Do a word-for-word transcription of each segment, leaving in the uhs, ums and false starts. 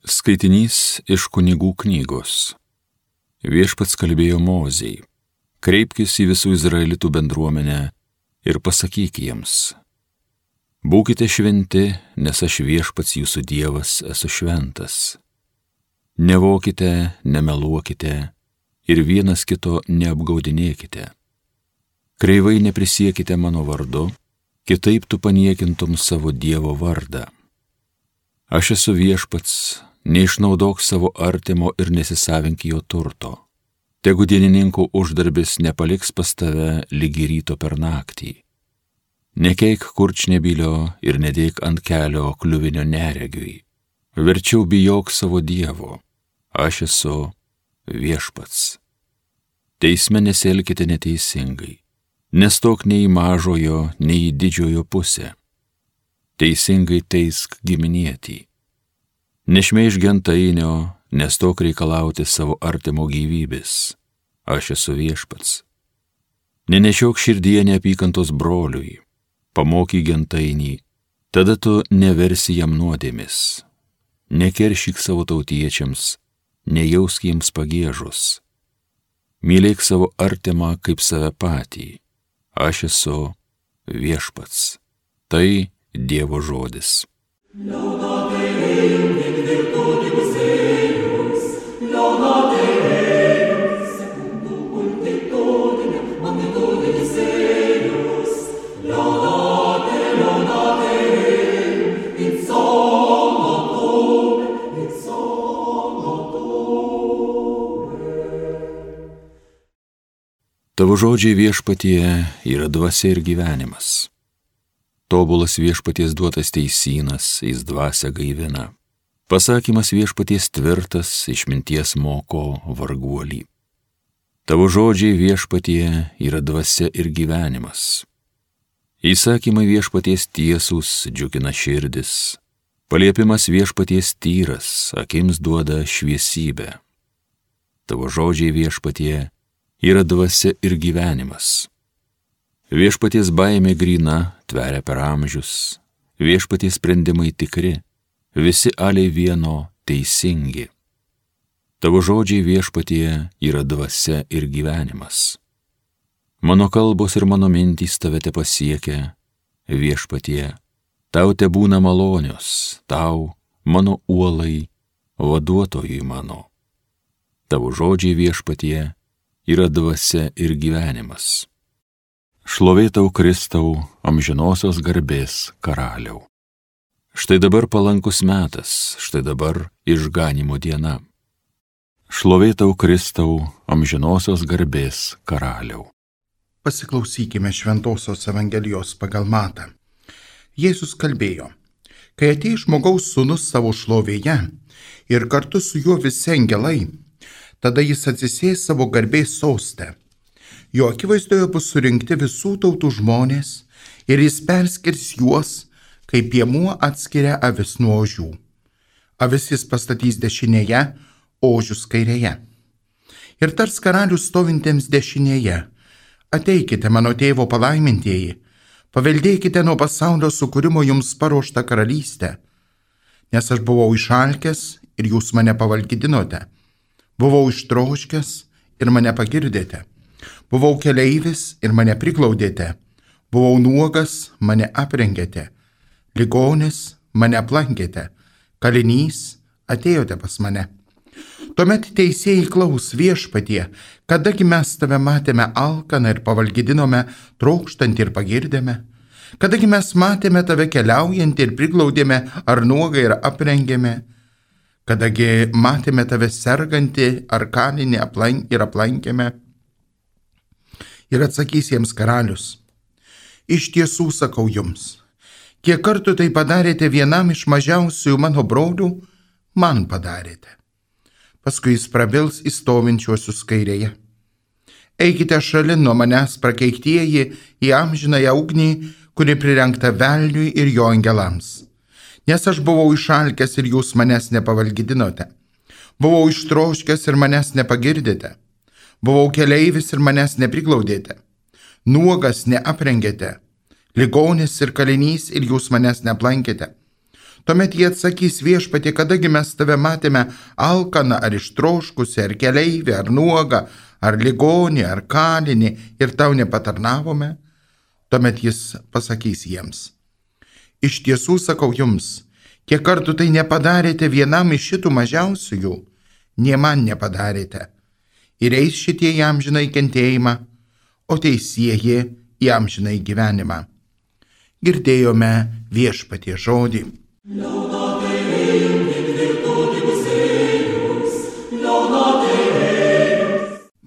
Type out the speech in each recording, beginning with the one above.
Skaitinys iš Kunigų knygos. Viešpats kalbėjo Mozei: kreipkis į visų izraelitų bendruomenę ir pasakyk jiems: būkite šventi, nes aš Viešpats jūsų Dievas esu šventas. Nevokite, nemeluokite ir vienas kito neapgaudinėkite. Kreivai neprisiekite mano vardu, kitaip tu paniekintum savo Dievo vardą. Aš esu Viešpats, neišnaudok savo artimo ir nesisavink jo turto. Tegu dienininkų uždarbis nepaliks pas tave lygi ryto per naktį. Nekeik kurčnebylio ir nedėk ant kelio kliuvinio neregiui. Verčiau bijok savo Dievo. Aš esu Viešpats. Teisme nesielkite neteisingai. Nestok nei į mažojo, nei į didžiojo pusę. Teisingai teisk giminietį. Nešmeižk gentainio, nestok reikalauti savo artimo gyvybės. Aš esu Viešpats. Nenešiok širdyje neapykantos broliui. Pamokyk gentainį, tada tu neversi jam nuodėmis. Nekeršyk savo tautiečiams, nejausk jiems pagiežos. Mylėk savo artimą kaip save patį. Aš esu Viešpats. Tai Dievo žodis. Tavo žodžiai Viešpatie yra dvasia ir gyvenimas. Tobulas Viešpaties duotas teisynas, jis dvasia gaivina. Pasakymas Viešpaties tvirtas, išminties moko varguolį. Tavo žodžiai Viešpatie yra dvasia ir gyvenimas. Įsakymai Viešpaties tiesūs džiugina širdis. Paliepimas Viešpaties tyras, akims duoda šviesybę. Tavo žodžiai Viešpatie yra dvasia ir gyvenimas. Viešpaties baimė gryna, tveria per amžius. Viešpaties sprendimai tikri, visi aliai vieno teisingi. Tavo žodžiai Viešpatie yra dvasia ir gyvenimas. Mano kalbos ir mano mintys tave te pasiekia, Viešpatie. Tau te būna malonios, tau, mano uolai, vaduotojui mano. Tavo žodžiai Viešpatie yra dvasia ir gyvenimas. Šlovė tau, Kristau, amžinosios garbės karaliau. Štai dabar palankus metas, štai dabar išganimo diena. Šlovė tau, Kristau, amžinosios garbės karaliau. Pasiklausykime Šventosios Evangelijos pagal Matą. Jėzus kalbėjo: kai ateis žmogaus sūnus savo šlovėje ir kartu su juo visi angelai, tada jis atsisės savo garbės soste. Jo akivaizdoje bus surinkti visų tautų žmonės ir jis perskirs juos, kaip piemuo atskiria avis nuo ožių. Avis jis pastatys dešinėje, ožius kairėje. Ir tars karalius stovintiems dešinėje: ateikite, mano tėvo palaimintieji, paveldėkite nuo pasaulio sukūrimo jums paruoštą karalystę. Nes aš buvau išalkęs ir jūs mane pavalgydinote. Buvau ištroškęs ir mane pagirdėte. Buvau keleivis ir mane priglaudėte. Buvau nuogas, mane aprengėte. Ligonis, mane aplankėte. Kalinys, atėjote pas mane. Tuomet teisėjai klaus: Viešpatie, kadagi mes tave matėme alkaną ir pavalgydinome, trokštantį ir pagirdėme? Kadagi mes matėme tave keliaujantį ir priglaudėme, ar nuogą ir aprengėme? Kadagi matėme tave sergantį ar kalinį aplank ir aplankėme? Ir atsakys jiems karalius: iš tiesų sakau jums, kiek kartų tai padarėte vienam iš mažiausiųjų mano brolių, man padarėte. Paskui jis prabils į stovinčiuosius kairėje: eikite šalin nuo manęs, prakeiktieji, į amžinąją ugnį, kuri prirengta velniui ir jo angelams. Nes aš buvau išalkęs ir jūs manęs nepavalgydinote. Buvau ištroškęs ir manęs nepagirdėte. Buvau keleivis ir manęs nepriglaudėte. Nuogas neaprengėte. Ligonis ir kalinys ir jūs manęs neaplankėte. Tuomet jie atsakys: Viešpatie, kadagi mes tave matėme alkaną ar ištroškusi, ar keleivį, ar nuogą, ar ligonį, ar kalinį ir tau nepatarnavome? Tuomet jis pasakys jiems: Iš tiesų sakau jums, kiek kartų tai nepadarėte vienam iš šitų mažiausiųjų, nė man nepadarėte. Ir eis šitie į amžinai kentėjimą, o teisieji į amžinai gyvenimą. Girdėjome Viešpatie žodį.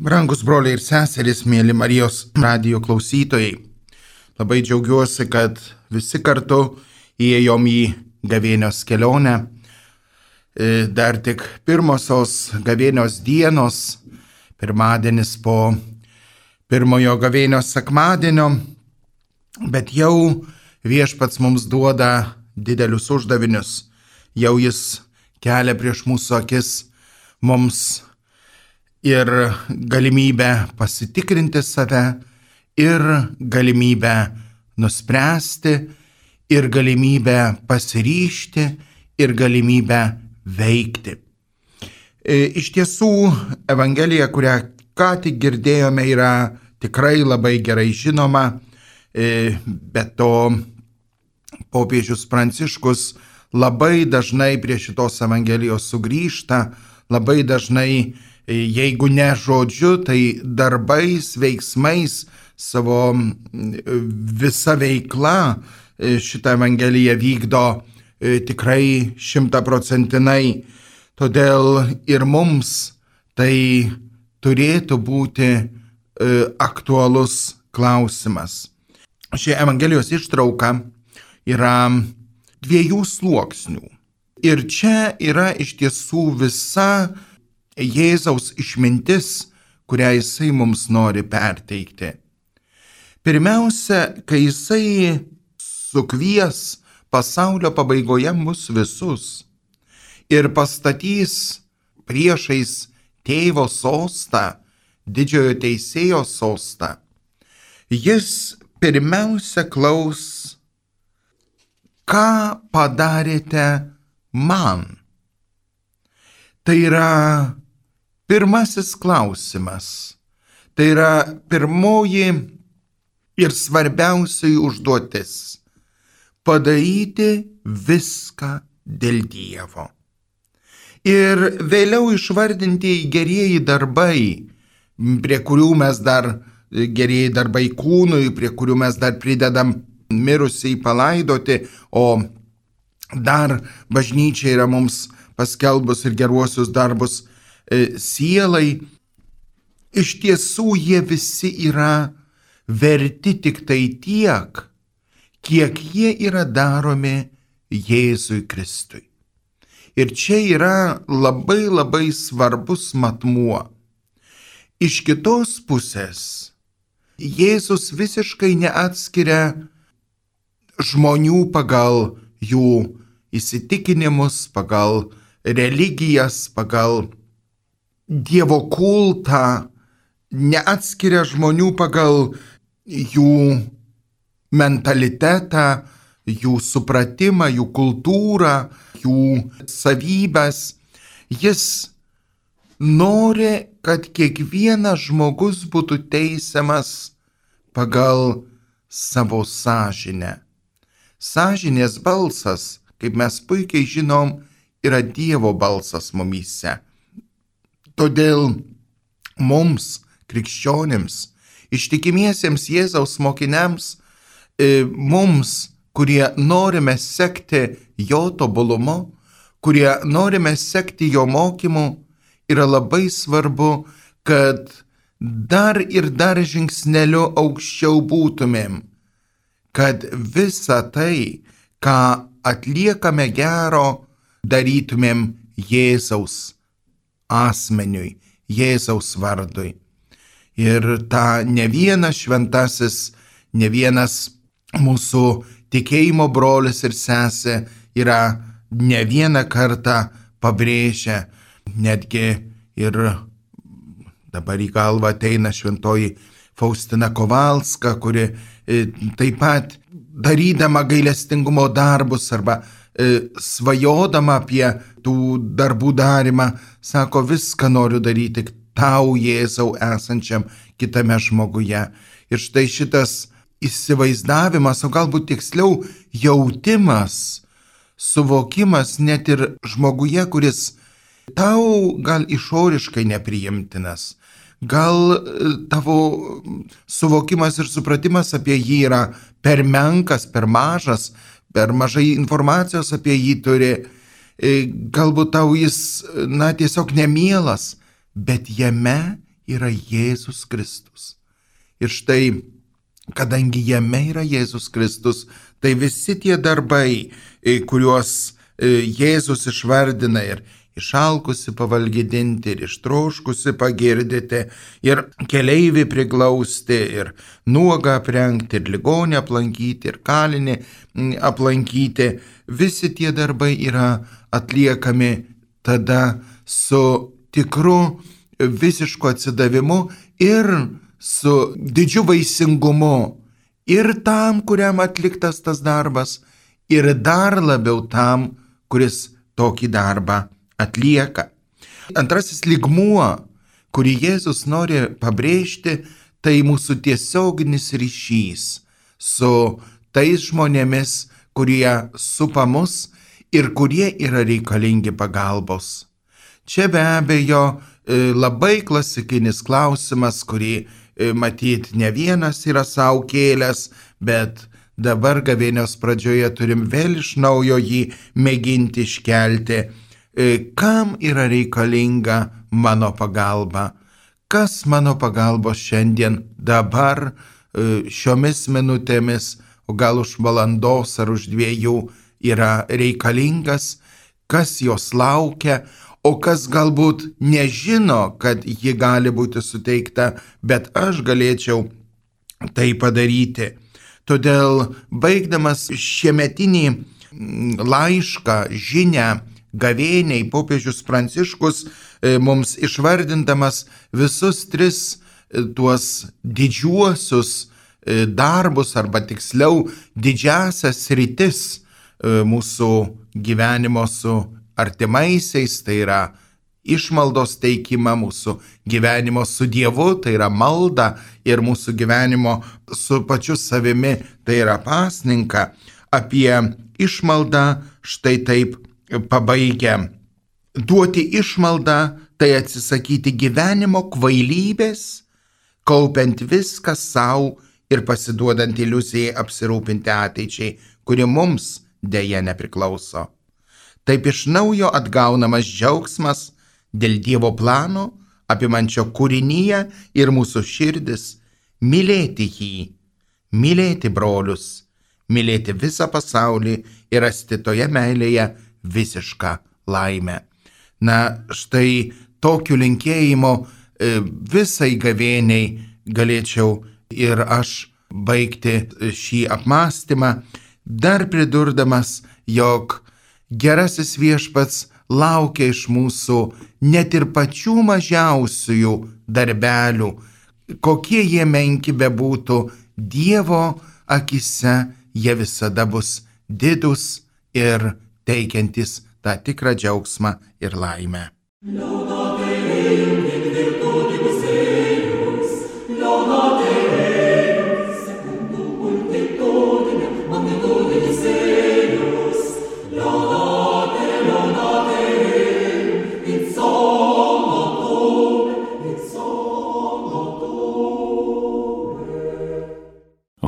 Brangus broliai ir seserys, mėly Marijos radijo klausytojai, labai džiaugiuosi, kad visi kartu įėjom į gavėnios kelionę. Dar tik pirmosios gavėnios dienos, pirmadienis po pirmojo gavėnios sekmadienio, bet jau Viešpats mums duoda didelius uždavinius, jau jis kelia prieš mūsų akis mums ir galimybę pasitikrinti save, ir galimybę nuspręsti, ir galimybę pasiryžti, ir galimybę veikti. Iš tiesų, Evangelija, kurią ką tik girdėjome, yra tikrai labai gerai žinoma, bet to popiežius Pranciškus labai dažnai prie šitos Evangelijos sugrįžta, labai dažnai, jeigu ne žodžiu, tai darbais, veiksmais, savo visa veikla šitą Evangeliją vykdo tikrai šimtaprocentinai. Todėl ir mums tai turėtų būti aktualus klausimas. Ši Evangelijos ištrauka yra dviejų sluoksnių. Ir čia yra iš tiesų visa Jėzaus išmintis, kurią jisai mums nori perteikti. Pirmiausia, kai jisai sukvies pasaulio pabaigoje mus visus ir pastatys priešais tėvo sostą, didžiojo teisėjo sostą, jis pirmiausia klaus: ką padarėte man? Tai yra pirmasis klausimas, tai yra pirmoji ir svarbiausiai užduotis – padaryti viską dėl Dievo. Ir vėliau išvardintieji gerieji darbai, prie kurių mes dar, gerieji darbai kūnui, prie kurių mes dar pridedam mirusiai palaidoti, o dar bažnyčia yra mums paskelbus ir geruosius darbus e, sielai, iš tiesų jie visi yra verti tik tai tiek, kiek jie yra daromi Jėzui Kristui. Ir čia yra labai labai svarbus matmuo. Iš kitos pusės, Jėzus visiškai neatskiria žmonių pagal jų įsitikinimus, pagal religijas, pagal Dievo kultą, neatskiria žmonių pagal jų mentalitetą, jų supratimą, jų kultūrą, jų savybės. Jis nori, kad kiekvienas žmogus būtų teisiamas pagal savo sąžinę. Sąžinės balsas, kaip mes puikiai žinom, yra Dievo balsas mumyse. Todėl mums, krikščionims, ištikimiesiems Jėzaus mokiniams, mums, kurie norime sekti jo tobulumu, kurie norime sekti jo mokymu, yra labai svarbu, kad dar ir dar žingsneliu aukščiau būtumėm, kad visą tai, ką atliekame gero, darytumėm Jėzaus asmeniui, Jėzaus vardui. Ir ta ne vienas šventasis, ne vienas mūsų tikėjimo brolis ir sesė yra ne vieną kartą pabrėžę, netgi ir dabar į galvą ateina šventoji Faustina Kovalska, kuri taip pat darydama gailestingumo darbus arba svajodama apie tų darbų darimą, sako, viską noriu daryti tau, Jėzau, esančiam kitame žmoguje. Ir štai šitas įsivaizdavimas, o galbūt tiksliau jautimas, suvokimas net ir žmoguje, kuris tau gal išoriškai nepriimtinas, gal tavo suvokimas ir supratimas apie jį yra per menkas, per mažas, per mažai informacijos apie jį turi, galbūt tau jis, na, tiesiog nemielas, bet jame yra Jėzus Kristus. Ir štai, kadangi jame yra Jėzus Kristus, tai visi tie darbai, kuriuos Jėzus išvardina, ir išalkusi pavalgydinti, ir ištroškusi pagirdyti, ir keleivį priglausti, ir nuogą aprengti, ir ligonį aplankyti, ir kalinį aplankyti, visi tie darbai yra atliekami tada su tikru visišku atsidavimu ir su didžiu vaisingumu ir tam, kuriam atliktas tas darbas, ir dar labiau tam, kuris tokį darbą atlieka. Antrasis lygmuo, kurį Jėzus nori pabrėžti, tai mūsų tiesioginis ryšys su tais žmonėmis, kurie supa mus ir kurie yra reikalingi pagalbos. Čia be abejo labai klasikinis klausimas, kurį matyt ne vienas yra savo kėlęs, bet dabar gavėnios pradžioje turim vėl iš naujo jį mėginti iškelti. Kam yra reikalinga mano pagalba? Kas mano pagalbos šiandien, dabar, šiomis minutėmis, o gal už valandos ar už dviejų yra reikalingas? Kas jos laukia? O kas galbūt nežino, kad ji gali būti suteikta, bet aš galėčiau tai padaryti. Todėl, baigdamas šiemetinį laišką, žinią gavėniai, popiežius Pranciškus mums išvardindamas visus tris tuos didžiuosius darbus, arba tiksliau didžiasias sritis mūsų gyvenimo su artimaisiais, tai yra išmaldos teikimą, mūsų gyvenimo su Dievu, tai yra malda, ir mūsų gyvenimo su pačiu savimi, tai yra pasninką. Apie išmaldą štai taip pabaigia. Duoti išmaldą tai atsisakyti gyvenimo kvailybės, kaupiant viską savo ir pasiduodant iliuzijai apsirūpinti ateičiai, kuri mums deja nepriklauso. Taip iš naujo atgaunamas džiaugsmas dėl Dievo plano, apimančio kūrinyje ir mūsų širdis, mylėti jį, mylėti brolius, mylėti visą pasaulį ir rasti toje meilėje visišką laimę. Na, štai tokiu linkėjimu visai gavėniai galėčiau ir aš baigti šį apmąstymą, dar pridurdamas, jog gerasis viešpats laukia iš mūsų net ir pačių mažiausiųjų darbelių, kokie jie menki bebūtų, Dievo akise jie visada bus didūs ir teikiantys tą tikrą džiaugsmą ir laimę.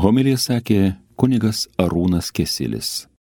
Homiliją sakė kunigas Arūnas Kesilis.